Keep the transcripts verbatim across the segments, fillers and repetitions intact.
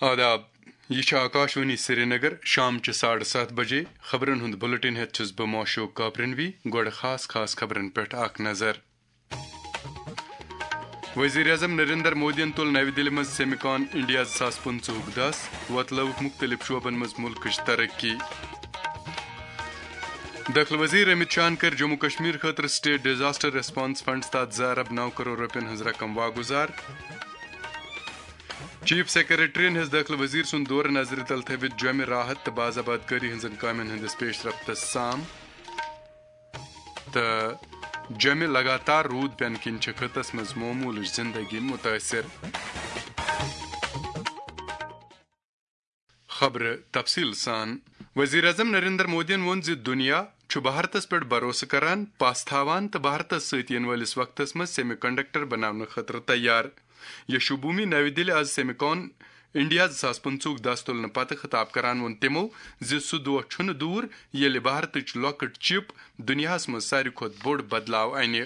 آداب، یہِ چھِ آکاشوانی سرینگر۔ شام چہِ ساڑٕ ستھ بجے خبرن ہُنٛد بُلٹن ہٮ۪تھ چھُس بہٕ موشوق کاپرنوی۔ گۄڈٕ خاص خاص خبرن پٮ۪ٹھ اکھ نظر۔ وزیر اعظم نریندر مودیَن تُل نَوِ دِلہِ منٛز سیمکان انڈیا زٕ ساس پٕنٛژٕہُک دَس، وۄتلٲوٕکھ مُختٔلِف شعبن منٛز مُلکٕچ ترقی۔ دٲخلہٕ وزیر امت شاہن کٔر جموں کشمیر خٲطرٕ سٹیٹ ڈیزاسٹر ریسپانس فنڈس تحت زٕ ارب نو کرور رۄپین ہٕنٛز رقم واگُزار۔ چیف سیکرٹریَن ہیٚژ دٲخلہٕ وزیر سُنٛد دورٕ نظرِ تل تھٲوِتھ جۄمہِ راحت تہٕ باز آباد کٲری ہٕنٛزن کامٮ۪ن ہٕنٛدِس پیش رفتس سام۔ تہٕ جۄمہِ لگاتار روٗد پٮ۪نہٕ کِنۍ چھِ خطس منٛز معموٗلٕچ زندگی مُتٲثِر۔ خبرٕ تفصیٖل سان۔ وزیر اعظم نریندر مودیَن ووٚن زِ دُنیا چھُ بھارتس پٮ۪ٹھ بھروسہٕ کران، پژھ تھاوان تہٕ بھارتس سۭتۍ یِنہٕ وٲلِس وقتس منٛز سیمی کنڈکٹر بناونہٕ خٲطرٕ تیار۔ یشوبھومی نَوِ دِلہِ آز سیمکان انڈیا زٕ ساس پٕنٛژٕہُک دَس تُلنہٕ پتہٕ خطاب کران ووٚن تِمو زِ سُہ دۄہ چھُنہٕ دوٗر ییٚلہِ بھارتٕچ لۄکٕٹ چِپ دُنیاہَس منٛز ساروی کھۄتہٕ بوٚڑ بدلاو اَنہِ۔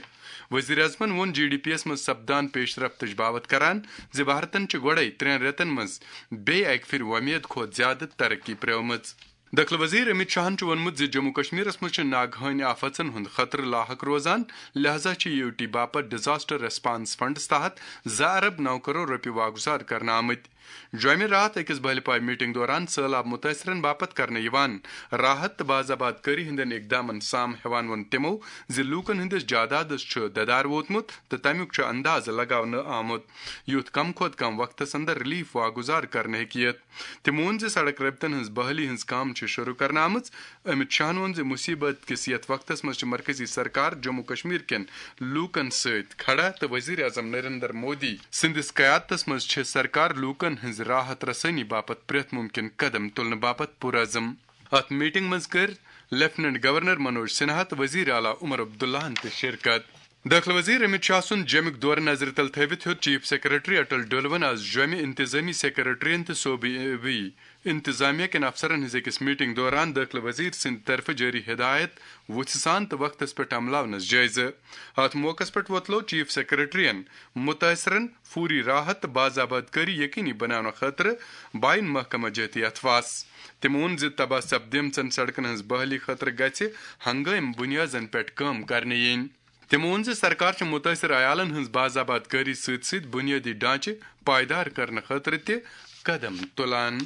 وزیر اعظمَن ووٚن جی ڈی پی یَس منٛز سپدان پیش رفتٕچ باوتھ کران زِ بھارتَن چھِ گۄڈَے ترٛٮ۪ن رٮ۪تَن منٛز بیٚیہِ اَکہِ پھِرِ وۄمید کھۄتہٕ زیادٕ ترقی پرٛٲومٕژ۔ دٲخلہٕ وزیر امت شاہن چھُ ووٚنمُت زِ جموں کشمیرس منٛز چھِ ناگہٲنی آفژن ہُنٛد خطرٕ لاحق روزان، لہذا چھِ یو ٹی باپتھ ڈیزاسٹر ریسپانس فنڈس تحت زٕ ارب نو کرور رۄپیہِ واگُزار کرنہٕ آمٕتۍ۔ جۄمہِ راتھ أکِس بہلہِ پایہِ میٹنگ دوران سٲلاب مُتٲثرن باپتھ کرنہٕ یِوان راحت تہٕ باز آباد کٲری ہٕنٛدٮ۪ن اقدامن سام ہٮ۪وان ووٚن تِمو زِ لوٗکن ہٕنٛدِس جادادس چھُ ددار ووتمُت تہٕ تمیُک چھُ اندازٕ لگاونہٕ آمُت، یُتھ کم کھۄتہٕ کم وقتس اندر ریلیف واگُزار کرنہٕ ہیٚکہِ یِتھ۔ تِمو ووٚن زِ سڑک رٲبطن ہٕنٛز بحالی ہٕنٛز کٲم چھِ شروع کرنہٕ آمٕژ۔ امت شاہن ووٚن زِ مُصیبت کِس یتھ وقتس منٛز چھِ مرکزی سرکار جموں کشمیر کٮ۪ن لوٗکن سۭتۍ کھڑا تہٕ وزیر اعظم نریندر مودی سٕنٛدِس قیادتس منٛز چھِ سرکار لوٗکن ہٕنٛز راحت رسٲنی باپتھ پرٛٮ۪تھ مُمکِن قدم تُلنہٕ باپتھ پُرعزم۔ اتھ میٹنگ منٛز کٔر لیفٹیننٹ گورنر منوج سنہا تہٕ وزیر اعلیٰ عمر عبداللہن تہِ شرکت۔ دٲخلہٕ وزیر امت شاہ سُنٛد جوٚمِک دورٕ نظرِ تل تھٲوِتھ ہیوٚت چیف سیکرٹری اٹل ڈولون آز جوٚمہِ انتظامی سیکرٹریَن تہٕ صوبٲئی انتظامیہ کٮ۪ن افسرن ہٕنٛز أکِس میٹنگ دوران دٲخلہٕ وزیر سٕنٛدِ طرفہٕ جٲری ہدایت وُژھِ سان تہٕ وقتس پٮ۪ٹھ عملاونس جٲیزٕ۔ اتھ موقعس پٮ۪ٹھ ووتلوو چیف سیکرٹریَن مُتٲثرن فوری راحت تہٕ باز آباد کٲری یقینی بناونہٕ خٲطرٕ بین محکمہ جہتی اتھواس۔ تٔمۍ ووٚن زِ تباہ سپدیمژن سڑکن ہٕنٛز بحالی خٲطرٕ گژھِ ہنگٲمۍ بُنیادن پٮ۪ٹھ کٲم کرنہٕ یِنۍ۔ تٔمۍ ووٚن زِ سرکار چھِ مُتٲثر عیالَن ہٕنٛز باز آباد کٲری سۭتۍ سۭتۍ بُنیٲدی ڈھانچہٕ پائیدار کرنہٕ خٲطرٕ تہِ قدم تُلان۔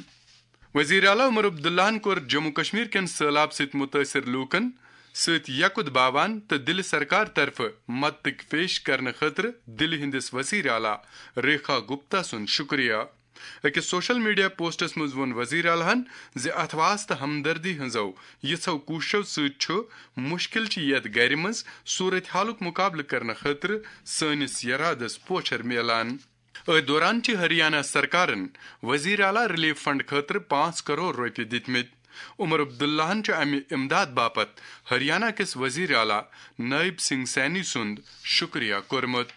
وزیر اعلیٰ عمر عبداللہَن کوٚر جموں کشمیر کٮ۪ن سٔہلاب سۭتۍ مُتٲثر لوٗکَن سۭتۍ یقُت باوان تہٕ دِلہِ سرکار طرفہٕ مدتٕکۍ پیش کرنہٕ خٲطرٕ دِلہِ ہٕنٛدِس وزیر اعلیٰ ریکھا گپتا سُنٛد شُکریہ۔ أکِس سوشل میڈیا پوسٹس منٛز ووٚن وزیر اعلیٰ ہَن زِ اتھواس تہٕ ہمدردی ہٕنٛزو یِژھو کوٗششو سۭتۍ چھُ مُشکِل چہِ یَتھ گرِ منٛز صورت حالُک مُقابلہٕ کرنہٕ خٲطرٕ سٲنِس یرادس پوچھر میلان۔ أتھۍ دوران چھِ ہریانہ سرکارن وزیر اعلیٰ ریلیف فنڈ خٲطرٕ پانٛژھ کرور رۄپیہِ دِتمٕتۍ۔ عمر عبداللہَن چھُ امہِ امداد باپتھ ہریانہ کِس وزیر اعلیٰ نائب سنگھ سینی سُنٛد شُکریہ کوٚرمُت۔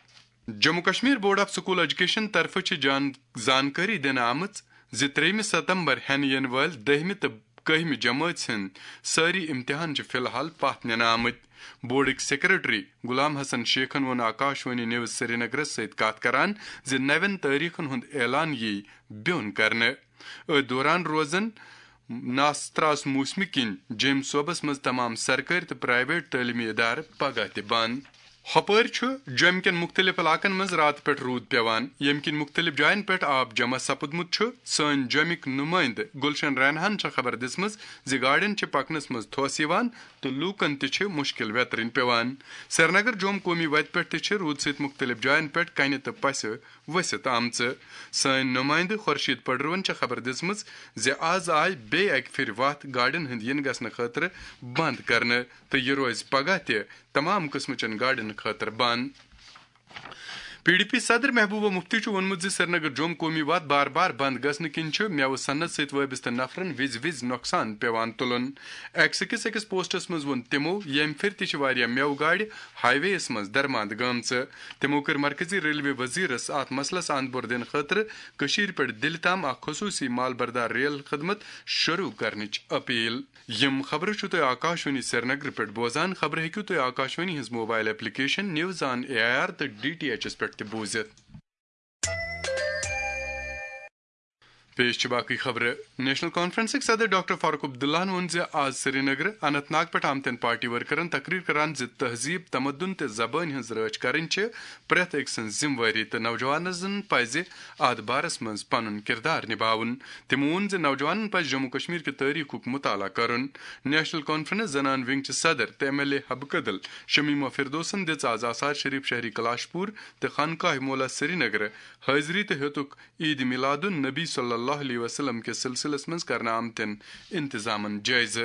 Jammu Kashmir board of school education طرفہٕ چھِ جان-، زانکٲری دِنہٕ آمٕژ زِ ترٛیٚیِمہِ ستمبر ہٮ۪نہٕ یِنہٕ وٲلۍ دٔہمہِ تہٕ کٔہمہِ جمٲژ ہٕنٛدۍ سٲری امتحان چھِ فی الحال پتھ نِنہٕ آمٕتۍ۔ بورڈٕکۍ سیکرٹری غلام حسن شیخن ووٚن آکاشوانی نیوز سرینگرس سۭتۍ کتھ کران زِ نوٮ۪ن تٲریخن ہُنٛد اعلان یِیہِ بیوٚن کرنہٕ۔ أتھۍ دوران روزن ناستراس موسمہِ کِنۍ جیٚمۍ صوبس منٛز تمام سرکٲرۍ تہٕ پرائیویٹ تعلیمی ادارٕ پگاہ تہِ بنٛد۔ ہۄپٲرۍ چھُ جوٚمہِ کٮ۪ن مُختٔلِف علاقن منٛز راتہٕ پٮ۪ٹھ روٗد پٮ۪وان، ییٚمہِ کِنۍ مُختٔلِف جاین پٮ۪ٹھ آب جمع سپُدمُت چھُ۔ سٲنۍ جوٚمِکۍ نُمٲیندٕ گلشن رینہاہن چھےٚ خبر دِژمٕژ زِ گاڑٮ۪ن چھِ پکنس منٛز تھوٚس یِوان تہٕ لوٗکن تہِ چھِ مُشکِل ویترٕنۍ پٮ۪وان۔ سرینگر جوٚم قومی وتہِ پٮ۪ٹھ تہِ چھِ روٗدٕ سۭتۍ مُختٔلِف جاین پٮ۪ٹھ کنہِ تہٕ پسہِ ؤسِتھ آمژٕ۔ سٲنۍ نُمٲیندٕ خورشید پڈروَن چھےٚ خبر دِژمٕژ زِ آز آیہِ بیٚیہِ اکہِ پھِرِ وَتھ گاڑٮ۪ن ہٕنٛدۍ یِنہٕ گژھنہٕ خٲطرٕ بنٛد کرنہٕ تہٕ یہِ روزِ پگاہ تہِ تمام قٕسمٕچٮ۪ن گاڑٮ۪ن خٲطرٕ بنٛد۔ پی ڈی پی صدر محبوبہ مفتی چھُ ووٚنمُت زِ سرینگر جوٚم قومی وَتھ بار بار بنٛد گژھنہٕ کِنۍ چھُ مٮ۪وٕ صنعت سۭتۍ وٲبستہٕ نفرَن وِزِ وِزِ نۄقصان پٮ۪وان تُلُن۔ ایکس کِس أکِس پوسٹَس منٛز ووٚن تِمَو، ییٚمہِ پھِرِ تہِ چھِ واریاہ مٮ۪وٕ گاڑِ ہائی وییَس منٛز درماندٕ گٲمژٕ۔ تِمَو کٔر مرکزی ریلوے وزیرَس اَتھ مسلَس اَنٛد بور دِنہٕ خٲطرٕ کٔشیٖرِ پٮ۪ٹھ دِلہِ تام اکھ خصوٗصی مال بردار ریل خدمت شروٗع کرنٕچ اپیل۔ یِم خبرٕ چھِو تُہۍ آکاشوانی سرینگرٕ پٮ۪ٹھ بوزان۔ خبرٕ ہیٚکِو تُہۍ آکاشوانی ہٕنٛز mobile application news on A I R تہٕ ڈی ٹی ایچ یَس پٮ۪ٹھ تہِ بوٗزِتھ۔ پیش چھِ باقٕے خبرٕ۔ نیشنل کانفرنسٕکۍ صدر ڈاکٹر فاروق عبداللہن ووٚن زِ آز سرینگرٕ اننت ناگ پٮ۪ٹھ آمتٮ۪ن پارٹی ورکرن تقریر کران زِ تہذیب، تمدن تہٕ زبٲنۍ ہٕنٛز رٲچھ کرٕنۍ چھِ پرٛٮ۪تھ أکۍ سٕنٛز ذمہٕ وٲری تہٕ نوجوانن پزِ اتھ بارس منٛز پنُن کردار نباوُن۔ تٔمۍ ووٚن زِ نوجوانن پزِ جموں کشمیر کہِ تٲریخُک مطالعہ کرُن۔ نیشنل کانفرنس زنان ونگ چہِ صدر تہٕ ایم ایل اے حبہٕ کدل شمیمہ فردوسن دِژ آز آثار شریف شہری کلاشپور تہٕ خانقاہ مولا سرینگرٕ حٲضری تہٕ ہیوٚتُکھ عید میلاد النبی صلی اللہ علیہ وسلم کِس سلسلس منٛز کرنہٕ آمتٮ۪ن انتظامن جٲیزٕ۔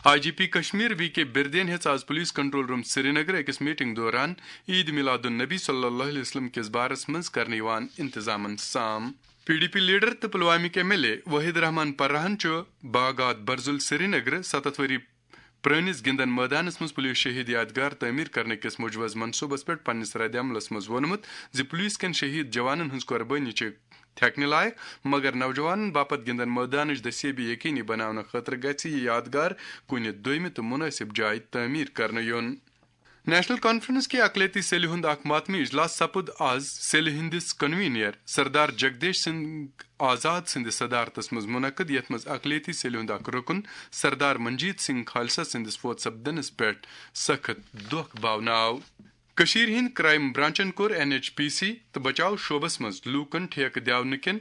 I G P Kashmir V K بردین ہیٚژ آز پولیس کنٹرول روم سرینگر أکِس میٹنگ دوران عید میلاد النبی صلی اللہ علیہ وسلم کِس بارس منٛز کرنہٕ یِوان انتظامن سام۔ پی ڈی پی لیڈر تہٕ پلوامِک ایم ایل اے وحید رحمان پرہن چھُ باغات برزُل سرینگر ستتھ ؤری پرٲنِس گِنٛدن مٲدانس منٛز پُلیٖس شہیٖد یادگار تعمیٖر کرنہٕ کِس مُجوز منصوٗبس پٮ۪ٹھ پننِس ردِ عملس منٛز ووٚنمُت زِ پُلیٖس کٮ۪ن شہیٖد جوانن ہٕنٛز قۄربٲنی چھِ تھٮ۪کنہٕ لایق، مگر نوجوانن باپتھ گِنٛدن مٲدانٕچ دٔستیٲبی یقینی بناونہٕ خٲطرٕ گژھِ یہِ یادگار کُنہِ دوٚیمہِ تہٕ مُنٲسِب جایہِ تعمیٖر کرنہٕ یُن۔ نیشنل کانفرنس کہِ اقلیتی سیلہِ ہُنٛد اکھ ماتمی اجلاس سپُد آز سیلہِ ہٕنٛدِس کنوینر سردار جگدیش سنگھ آزاد سٕنٛدِ صدارتس منٛز منعقد، یتھ منٛز اقلیتی سیلہِ ہُنٛد اکھ رُکُن سردار منجیت سنگھ خالصہ سٕنٛدِس فوت سپدنس پٮ۪ٹھ سخت دۄکھ باونہٕ آو۔ کٔشیٖرِ ہٕنٛدۍ کرائم برانچن کوٚر این ایچ پی سی تہٕ بچاو شعبس منٛز لوٗکن ٹھیکہٕ دِونہٕ کٮ۪ن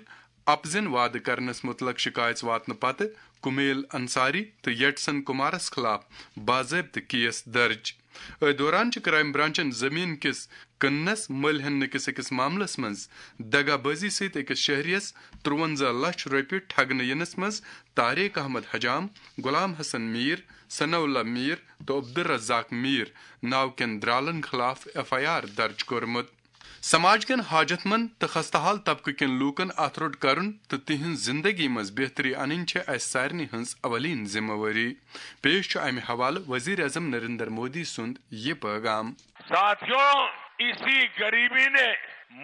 اپزن وعدٕ کرنس مُتعلق شکایژ واتنہٕ پتہٕ کمیل انصاری تہٕ یٹسن کمارس خلاف باضٲبطہٕ کیس درج۔ أتھۍ دوران چھِ کرائم برانچن زٔمیٖن کِس کٕننس مٔلۍ ہٮ۪نہٕ کِس أکِس معاملس منٛز دغا بٲزی سۭتۍ أکِس شہریَس ترٛوَنزاہ لچھ رۄپیہِ ٹھگنہٕ یِنس منٛز طارق احمد حجام، غلام حسن میٖر، ثناء اللہ میٖر تہٕ عبدالرزاق میٖر ناو کٮ۪ن درالن خلاف ایف آئی آر درج کوٚرمُت۔ سماج کٮ۪ن حاجت مند تہٕ خستہٕ حال طبقہٕ کٮ۪ن لوٗکن اتھ روٚٹ کرُن تہٕ تِہنٛز زندگی منٛز بہتری انٕنۍ چھےٚ اسہِ سارنٕے ہٕنٛز اولین ذمہٕ وٲری۔ پیش چھُ امہِ حوالہٕ وزیر اعظم نریندر مودی سُنٛد یہِ پیغام۔ साथियों, इसी गरीबी ने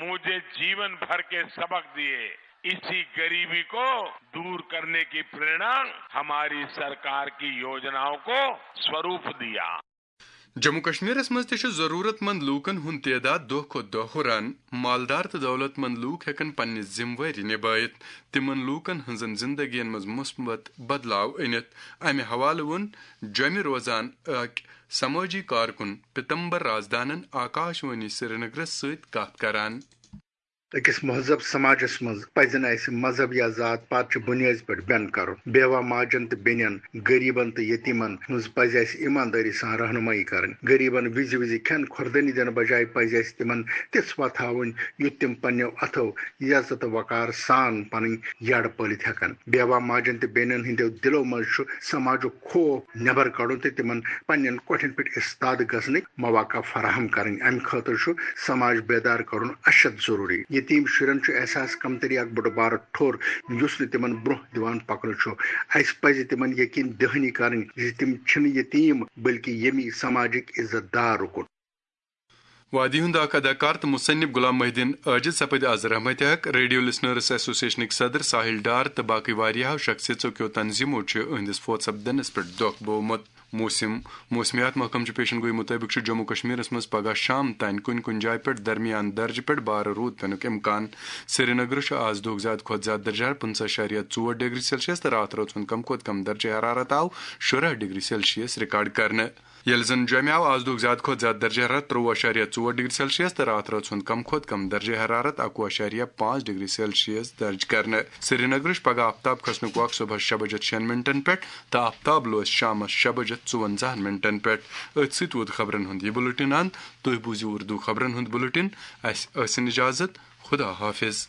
मुझे जीवन भर के सबक दिए। इसी गरीबी को दूर करने की प्रेरणा हमारी सरकार की योजनाओं को स्वरूप दिया। جموں کشمیرس منٛز تہِ چھُ ضروٗرت مند لوٗکن ہُنٛد تعداد دۄہ کھۄتہٕ دۄہ ہُران۔ مالدار تہٕ دولت مند لوٗکھ ہٮ۪کن پننہِ ذمہٕ وٲری نبٲوِتھ، تِمن لوٗکن ہٕنٛزن زندگین منٛز مثبت بدلاو أنِتھ۔ امہِ حوالہٕ ووٚن جوٚمہِ روزان أکۍ سمٲجی کارکُن پیتمبر رازدانن آکاش وانی سرینگرس سۭتۍ کتھ کران۔ أکِس مہذب سماجس منٛز پزِ نہٕ اسہِ مذہب یا ذات پات چہِ بُنیٲدۍ پٮ۪ٹھ بٮ۪ن کرُن۔ بیوہ ماجن تہٕ بیٚنٮ۪ن، غریبن تہٕ یتیمن ہٕنٛز پزِ اسہِ ایماندٲری سان رہنمٲیی کرٕنۍ۔ غریبن وِزِ وِزِ کھٮ۪ن کھۄردٲنی دِنہٕ بجایہِ پزِ اسہِ تِمن تِژھ وتھ ہاوٕنۍ یُتھ تِم پننٮ۪و اتھو عزت تہٕ وقار سان پنٕنۍ یڈ پٲلِتھ ہٮ۪کن۔ بیوہ ماجن تہٕ بیٚنٮ۪ن ہٕنٛدٮ۪و دِلو منٛز چھُ سماجُک خوف نٮ۪بر کڑُن تہٕ تِمن پننٮ۪ن کۄٹھٮ۪ن پٮ۪ٹھ استاد گژھنٕکۍ مواقع فراہم کرٕنۍ۔ امہِ خٲطرٕ چھُ سماج بیدار کرُن اشد ضروری۔ یتیم شُرٮ۪ن چھُ احساس کمتری اکھ بوٚڑ بارٕ ٹھوٚر یُس نہٕ تِمن برونٛہہ دِوان پکنہٕ چھُ۔ اسہِ پزِ تِمن یقین دہانی کرٕنۍ زِ تِم چھِنہٕ یتیم بلکہِ ییٚمی سماجٕکۍ عزت دار رُکُن۔ وادی ہُنٛد اکھ اداکار تہٕ مصنف غلام محی الدین عاجز سپٕدۍ از رحمتِ حق۔ ریڈیو لسنرز ایسوسیشنٕکۍ صدر ساحل ڈار تہٕ باقٕے واریاہو شخصیژو کیو تنظیمو چھِ أہنٛدِس فوت سپدنس پٮ۪ٹھ دۄکھ بوومُت۔ موسم۔ موسمیات محکمہٕ چہِ پیشن گویی مُطٲبِق چھُ جموں کشمیرس منٛز پگاہ شام تام کُنہِ کُنہِ جایہِ پٮ۪ٹھ درمیان درجہٕ پٮ۪ٹھ بارٕ روٗد پینُک امکان۔ سرینگرٕ چھُ آز دۄہُک زیادٕ کھۄتہٕ زیادٕ درجہٕ حرارت پٕنٛژٕہ اعشاریہ ژور ڈگری سیلسیس تہٕ راتھ رٲژ ہُنٛد کم کھۄتہٕ کم درجہٕ حرارت آو شُراہ ڈگری سیلسیس ریکارڈ کرنہٕ۔ ییٚلہِ زن جوٚمہِ آو آز دۄہُک زیادٕ کھۄتہٕ زیادٕ درجہٕ حرارت ترٛۆوُہ اعشاریہ ژور ڈگری سیلسیس تہٕ راتھ رٲژ ہُنٛد کم کھۄتہٕ کم درجہٕ حرارت اکوُہ اعشاریہ پانٛژھ ڈگری سیلسیس درج کرنہٕ۔ سرینگرٕچ پگاہ آفتاب کھسنُک وق صبحس شےٚ بجے شیٚن منٹن پٮ۪ٹھ تہٕ آفتاب لوس شامس شےٚ بجے ژُوَنزاہن منٹن پٮ۪ٹھ۔ أتھۍ سۭتۍ ووت خبرن ہُنٛد یہِ بُلٹن اند۔ تُہۍ بوٗزِو اردو خبرن ہُنٛد بُلٹن۔ اسہِ ٲسِن اجازت۔ خدا حافظ۔